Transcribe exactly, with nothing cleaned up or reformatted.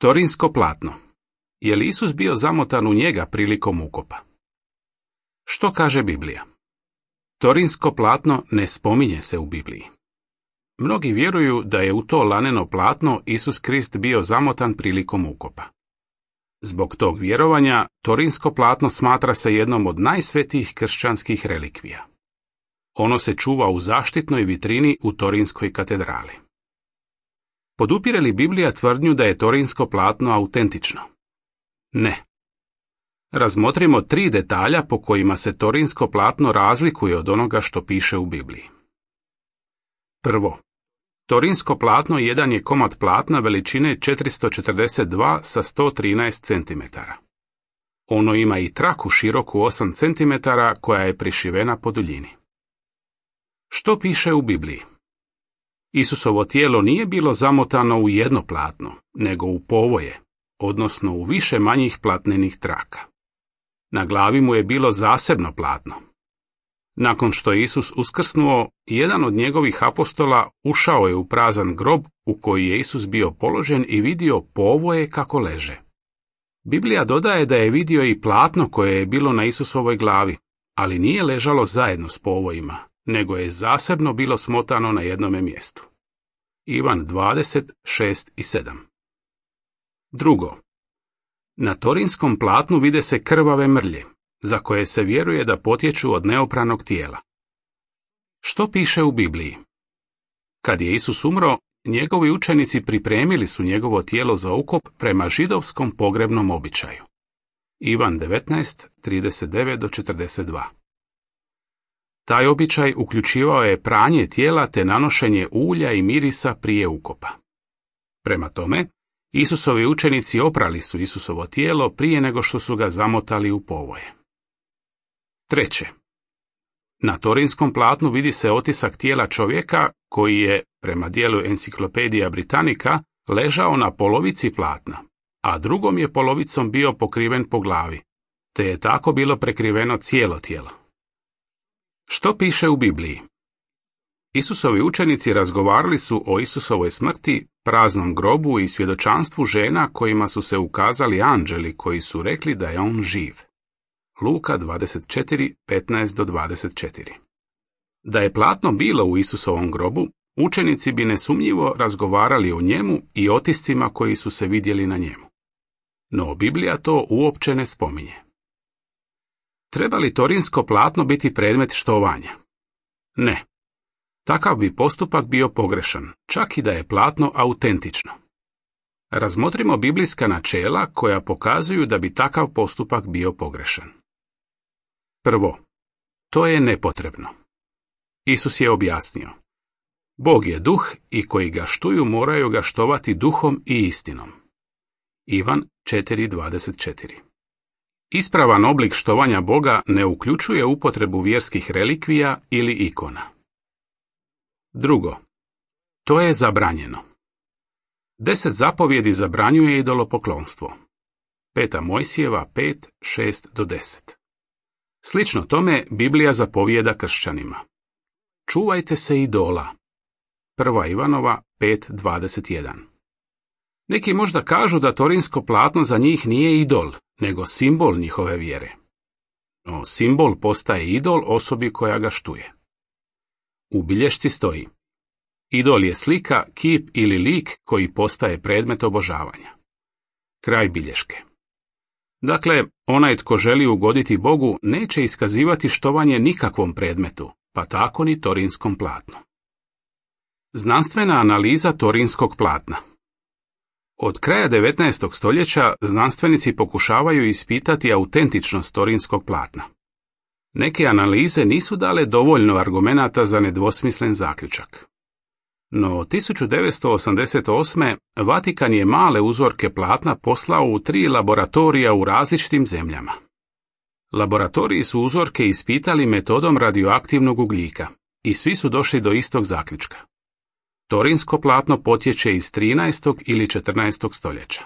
Torinsko platno. Je li Isus bio zamotan u njega prilikom ukopa? Što kaže Biblija? Torinsko platno ne spominje se u Bibliji. Mnogi vjeruju da je u to laneno platno Isus Krist bio zamotan prilikom ukopa. Zbog tog vjerovanja, Torinsko platno smatra se jednom od najsvetijih kršćanskih relikvija. Ono se čuva u zaštitnoj vitrini u Torinskoj katedrali. Podupire li Biblija tvrdnju da je Torinsko platno autentično? Ne. Razmotrimo tri detalja po kojima se Torinsko platno razlikuje od onoga što piše u Bibliji. Prvo, Torinsko platno jedan je komad platna veličine četiristo četrdeset dva sa sto trinaest centimetara. Ono ima i traku široku osam centimetara koja je prišivena po duljini. Što piše u Bibliji? Isusovo tijelo nije bilo zamotano u jedno platno, nego u povoje, odnosno u više manjih platnenih traka. Na glavi mu je bilo zasebno platno. Nakon što je Isus uskrsnuo, jedan od njegovih apostola ušao je u prazan grob u koji je Isus bio položen i vidio povoje kako leže. Biblija dodaje da je vidio i platno koje je bilo na Isusovoj glavi, ali nije ležalo zajedno s povojima, nego je zasebno bilo smotano na jednome mjestu. Ivan dvadeset, šest i sedam. Drugo. Na Torinskom platnu vide se krvave mrlje, za koje se vjeruje da potječu od neopranog tijela. Što piše u Bibliji? Kad je Isus umro, njegovi učenici pripremili su njegovo tijelo za ukop prema židovskom pogrebnom običaju. Ivan devetnaest, trideset devet do četrdeset dva. Taj običaj uključivao je pranje tijela te nanošenje ulja i mirisa prije ukopa. Prema tome, Isusovi učenici oprali su Isusovo tijelo prije nego što su ga zamotali u povoje. Treće. Na Torinskom platnu vidi se otisak tijela čovjeka koji je, prema dijelu Enciklopedija Britannica, ležao na polovici platna, a drugom je polovicom bio pokriven po glavi, te je tako bilo prekriveno cijelo tijelo. Što piše u Bibliji? Isusovi učenici razgovarali su o Isusovoj smrti, praznom grobu i svjedočanstvu žena kojima su se ukazali anđeli koji su rekli da je on živ. Luka dvadeset četiri, petnaest do dvadeset četiri. Da je platno bilo u Isusovom grobu, učenici bi nesumnjivo razgovarali o njemu i otiscima koji su se vidjeli na njemu. No Biblija to uopće ne spominje. Treba li Torinsko platno biti predmet štovanja? Ne. Takav bi postupak bio pogrešan, čak i da je platno autentično. Razmotrimo biblijska načela koja pokazuju da bi takav postupak bio pogrešan. Prvo, to je nepotrebno. Isus je objasnio: Bog je duh i koji ga štuju moraju ga štovati duhom i istinom. Ivan četiri, dvadeset četiri. Ispravan oblik štovanja Boga ne uključuje upotrebu vjerskih relikvija ili ikona. Drugo, to je zabranjeno. Deset zapovjedi zabranjuje idolopoklonstvo. Peta Mojsijeva pet, šest do deset. Slično tome Biblija zapovijeda kršćanima: čuvajte se idola. Prva Ivanova pet, dvadeset jedan. Neki možda kažu da Torinsko platno za njih nije idol, nego simbol njihove vjere. No, simbol postaje idol osobi koja ga štuje. U bilješci stoji: idol je slika, kip ili lik koji postaje predmet obožavanja. Kraj bilješke. Dakle, onaj tko želi ugoditi Bogu neće iskazivati štovanje nikakvom predmetu, pa tako ni Torinskom platnu. Znanstvena analiza Torinskog platna. Od kraja devetnaestog stoljeća znanstvenici pokušavaju ispitati autentičnost Torinskog platna. Neke analize nisu dale dovoljno argumenata za nedvosmislen zaključak. No tisuću devetsto osamdeset osme. Vatikan je male uzorke platna poslao u tri laboratorija u različitim zemljama. Laboratoriji su uzorke ispitali metodom radioaktivnog ugljika i svi su došli do istog zaključka. Torinsko platno potječe iz trinaestog ili četrnaestog stoljeća.